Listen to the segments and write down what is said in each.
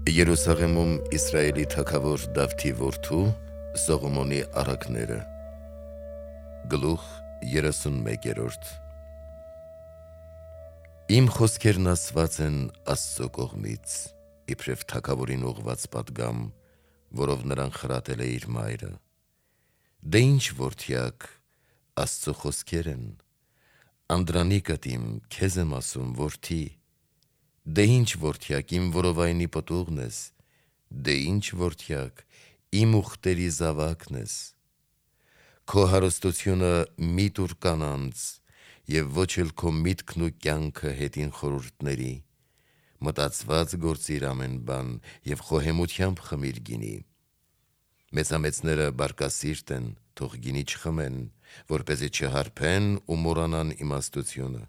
Երուսաղեմում Իսրայելի թագավոր Դավթի որդու Սողոմոնի առակները Գլուխ 31 Իմ խոսքերն ասված են Աստծո կողմից, իբրև թագավորին ուղված պատգամ, որով նրան խրատել է իր մայրը։ Դե ինչ որդյակ, Աստծո խոսքեր են, անդրանիկդ իմ, քեզ եմ ասում, որդի։ Դե ինչ որդյակ, իմ որովայնի պտուղն ես, դե ինչ որդյակ, իմ ուխտերի զավակն ես։ Քո հարստությունը մի տուր կանանց, և ոչ էլ քո միտքն ու կյանքը հետին խորհուրդների, մտածված գործիր ամեն բան և խոհեմությամբ խմիր գինի։ Մեծամեծները բարկասիրտ են, թող գինի չխմեն, որպեսզի չհարբեն ու մոռանան իմաստությունը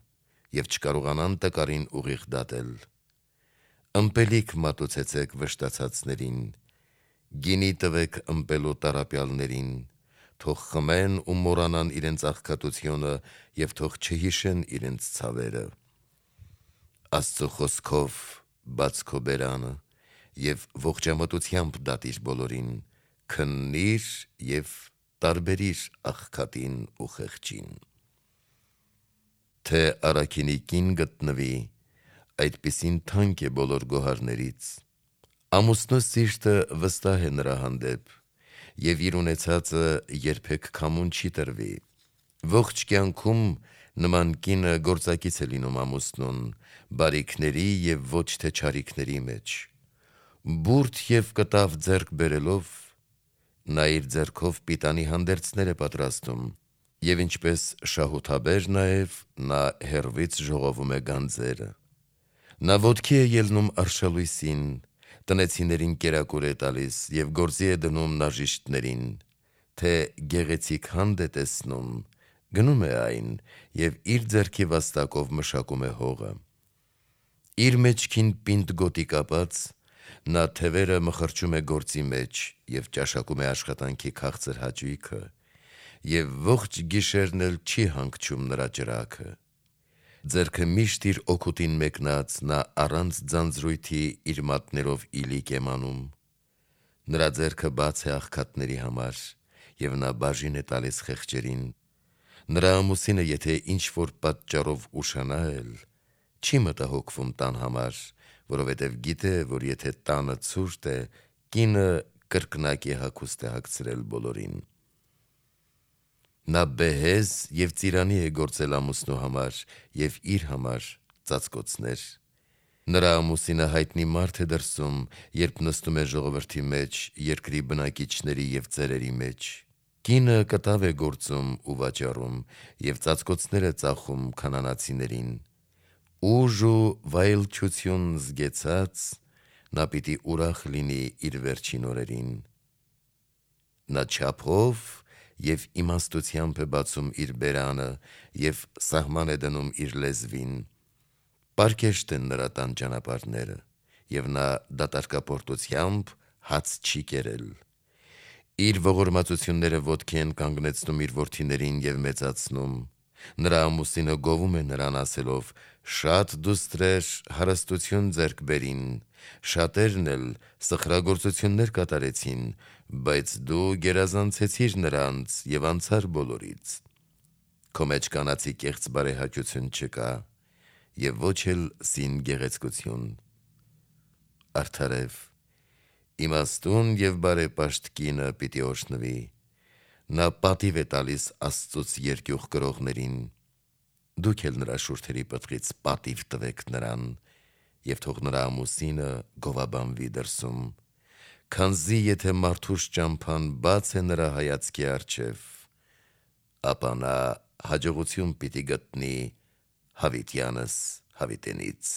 և չկարողանան տկարին ուղիղ դատել։ Ըմպելիք մատուցեցեք վշտացածներին, գինի տվեք ըմպելու տառապյալներին, թող խմեն ու մոռանան իրենց աղքատությունը և թող չհիշեն իրենց ցավերը։ Աստծո խոսքով բաց քո բերանը և ողջամտությամբ դատիր բոլորին, քննիր և տարբերիր աղքատին ու խեղճին։ Թե առաքինի կին գտնվի, այդպիսին թանկ է բոլոր գոհարներից։ Ամուսնու սիրտը վստահ է նրա հանդեպ, և իր ունեցածը երբեք քամուն չի տրվի։ Ողջ կյանքում նման կինը գործակից է լինում ամուսնուն, բարիքների և ոչ թե չարիքների մեջ։ Բուրդ և կտավ ձեռք բերելով, նա իր ձեռքով պիտանի հանդերձներ է պատրաստում, և ինչպես շահութաբեր նաև նա հեռվից ժողովում է գանձերը։ Նա ոտքի է ելնում արշալույսին, տնեցիներին կերակուր է տալիս և գործի է դնում նաժիշտներին, թե գեղեցիկ հանդ է տեսնում, գնում է այն և իր ձեռքի վաստակով մշակում է հողը։ Իր մեջքին պինդ գոտի կապած, նա թևերը մխրճում է գործի մեջ և ճաշակում է աշխատանքի քաղցր հաճույքը, և ողջ գիշերն էլ չի հանգչում նրա ճրագը։ Ձեռքը միշտ իր օգուտին մեկնած, նա առանց ձանձրույթի իր մատներով իլիկ է մանում։ Նրա ձեռքը բաց է աղքատների համար, և նա բաժին է տալիս խեղճերին։ Նրա ամուսինը եթե ինչ-որ պատճառով ուշանա էլ, չի մտահոգվում տան համար, որովհետև գիտե, որ եթե տանը ցուրտ է, կինը կրկնակի հագուստ է հագցրել բոլորին։ Նա բեհեզ և ծիրանի է գործել ամուսնու համար և իր համար ծածկոցներ։ Նրա ամուսինը հայտնի մարդ է դրսում, երբ նստում է ժողովրդի մեջ, երկրի բնակիչների և ծերերի մեջ։ Կինը կտավ է գործում ու վաճառում և ծածկոցներ է ծախում քանանացիներին։ Ուժ ու վայելչություն զգեցած, նա պիտի ուրախ լինի իր վերջին օրերին։ Նա չափով և իմաստությամբ է բացում իր բերանը և սահման է դնում իր լեզվին։ Պարկեշտ են նրա տան ճանապարհները, և նա դատարկապորտությամբ հաց չի կերել։ Իր ողորմածությունները ոտքի են կանգնեցնում իր որդիներին և մեծացնում։ Նրա ամուսինը գովում է նրան ասելով. «Շատ դուստրեր հարստություն ձեռք բերին, շատերն էլ սխրագործություններ կատարեցին, բայց դու գերազանցեցիր նրանց և անցար բոլորից»։ Քո մեջ կանացի կեղծ բարեհաճություն չկա և ոչ էլ սին գեղեցկություն։ Արդարև, իմաստուն և բարեպաշտ կինը պիտի օրհնվի։ Նա պատիվ է տալիս Աստծուց երկյուղ կրողներին։ Դուք էլ նրա շուրթերի պտղից պատիվ տվեք նրան, և թող նրա ամուսինը գովաբանվի դրսում, քանզի եթե մարդուս ճամփան բաց է նրա հայացքի առջև, ապա նա հաջողություն պիտի գտնի հավիտյանս հավիտենից։